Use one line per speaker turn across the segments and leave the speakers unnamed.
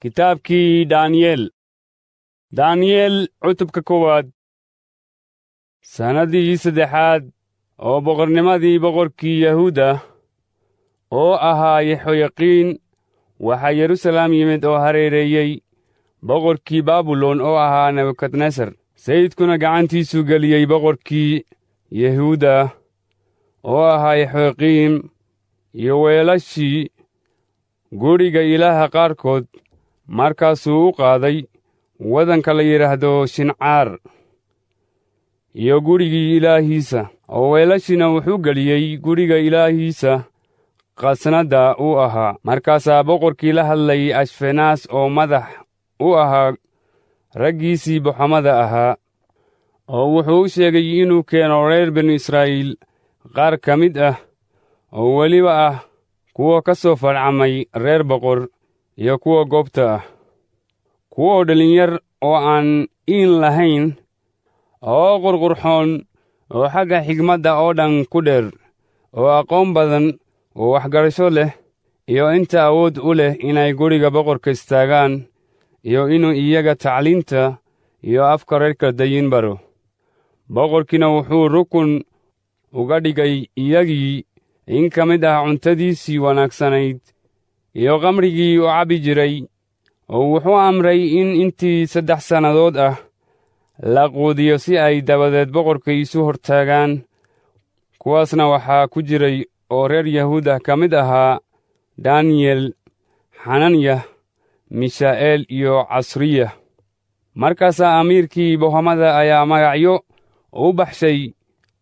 Kitaabkii Daaniyeel. Daaniyeel cutubka koowaad. Sannadihii saddexaad oo boqornimadii boqorkii Yahuuda oo ahaa Yehoyaqiin, waxaa Yeruusaalem yimid oo hareereeyey boqorkii Baabilon oo ahaa Nebukadnesar. Sayidkuna gacantiisuu geliyey boqorkii Yahuuda oo ahaa Yehoyaqiim iyo weelashii guriga Ilaaha qaarkood. Markaasuu u qaaday waddanka la yidhaahdo Shincaar iyo gurigii Ilaahiisa, oo weelashiina wuxuu geliyey guriga Ilaahiisa khasnadda uu ahaa. Markaasaa boqorkii la hadlay Ashfenaas oo madax u ahaa raggiisii boxomada ahaa, oo wuxuu u sheegay inuu keeno reer binu Israa'iil qaar ka mid ah, oo weliba ah kuwa ka soo farcamay reer boqor iyo kuwa goobta ah, kuwa dhalinyar oo aan iin lahayn, oo qurqurxoon, oo xagga xigmadda oo dhan ku dheer, oo aqoon badan oo waxgarasho leh, iyo inta awood u leh inay guriga boqorka istaagaan, iyo inuu iyaga tacliinta iyo afka reer Kaldayiin baro. Boqorkiina wuxuu rukun uga dhigay iyagii in ka mid ah cuntadiisii wanaagsanayd iyo khamrigii uu cabbi jiray, oo wuxuu amray in intii 3 sannadood ah la quudiyo si ay dabadeed boqorka isu hortaagaan. Kuwaasna waxaa ku jiray oo reer Yahuudah ka mid ahaa Daniyel, Xananyah, Mishaa'eel iyo Casriyah. Markaasaa amiirkii bohomada ayaa magacyo u baxshay,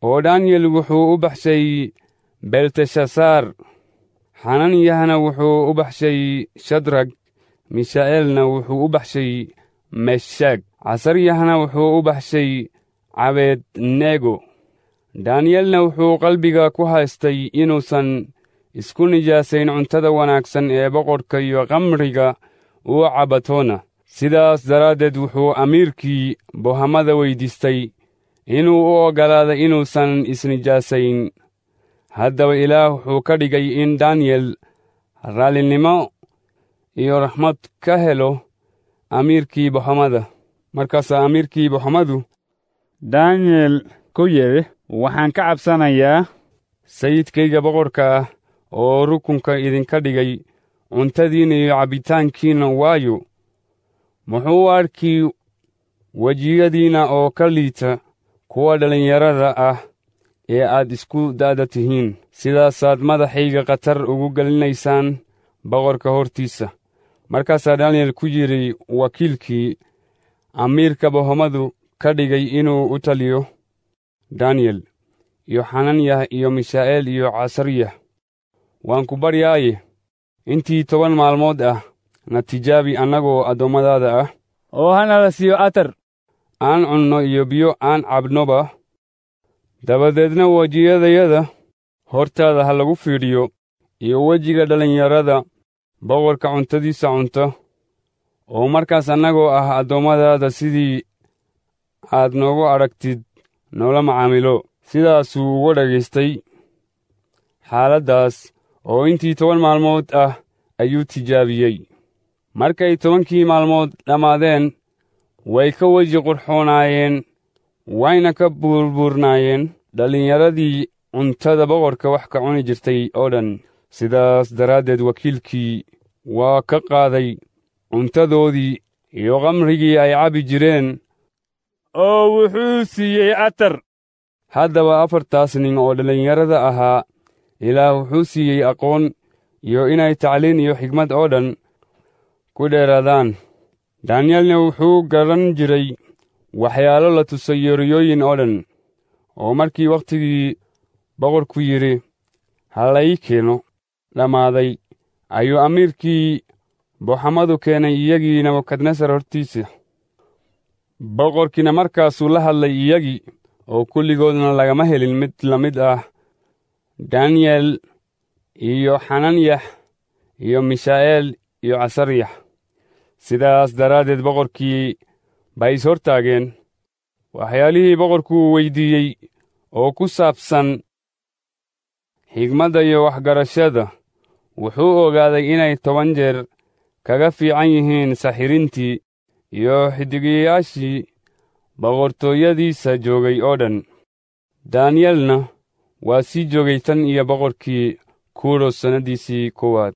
oo Daniyel wuxuu u baxshay Belteshasaar, Xananyahna wuxuu u baxshay Shadrag, Mishaa'eelna wuxuu u baxshay Meshag, Casaryahna wuxuu u baxshay Cabednego. Daniyelna wuxuu qalbiga ku haystay inuusan isku nijaasayn cuntada wanaagsan ee boqorka iyo khamriga uu cabatoona. Sidaas daraaddeed wuxuu amiirkii bohamada weydiistay inuu u oggolaado inuusan isnijaasayn. Haddaba Ilaah wuxuu ka dhigay in Daniyel raallinimo iyo raxmad ka helo amiirkii bohamada. Markaasaa amiirkii bohamadu Daniyel ku yidhi, waxaan ka cabsanayaa sayidkayga boqorka ah oo rukunka idinka dhigay cuntadiinna iyo cabbitaankiinna, waayo, muxuu u arki wejiyadiinna oo ka liita kuwa dhallinyarada ah ee aad isku da'da tihiin. Sidaasaad madaxayga khatar ugu gelinaysaan boqorka hortiisa. Markaasaa Daniyel ku yidhi wakiilkii amiirka bohomadu ka dhigay inuu u taliyo Daniyel iyo Xananyah iyo Mishaa'eel iyo Casaryah, waan ku baryaaye, intii 10 maalmood ah na tijaabi annagoo addoommadaada ah, oo hanala siiyo atar aan cunno iyo biyo aan cabnoba. Dabadeedna wejiyadayada hortaada ha lagu fiidhiyo iyo wejiga dhallinyarada boqorka cuntadiisa cunta, oo markaas annagoo ah addoommadaada sidii aad noogu aragtid noola macaamilo. Sidaasuu uga dhagaystay xaaladdaas, oo intii 10 maalmood ah ayuu tijaabiyey. Markay 10kii maalmood dhammaadeen, way ka weji qurxoonaayeen, wayna ka buurbuurnaayeen dhallinyaradii cuntada boqorka wax ka cuni jirtay oo dhan. Sidaas daraaddeed wakiilkii waa ka qaaday cuntadoodii iyo khamrigii ay cabbi jireen, oo wuxuu siiyey atar. Haddaba 4taas nin oo dhallinyarada ahaa Ilaah wuxuu siiyey aqoon iyo inay tacliin iyo xigmad oo dhan ku dheeraadaan. Daniyelna wuxuu garan jiray waxyaalo la tusay yeriyooyin oo dhan, oo markii wakhtigii boqorku yidhi ha la ii keeno dhammaaday, ayuu amiirkii boxamadu keenay iyagii Nebukadnesar hortiisa. Boqorkiina markaasuu la hadlay iyagii, oo kulligoodna lagama helin mid la mid ah Daniyel iyo Xananyah iyo Mishaa'eel iyo Casaryah. Sidaas daraaddeed boqorkii bay is hortaageen. Waxyaalihii boqorku weydiiyey oo ku saabsan xigmadda iyo waxgarashada, wuxuu ogaaday inay 10 jeer kaga fiican yihiin saxirintii iyo xiddigayaashii boqortooyadiisa joogay oo dhan. Daaniyelna waa sii joogay tan iyo boqorkii Kuros sannadiisii 1aad.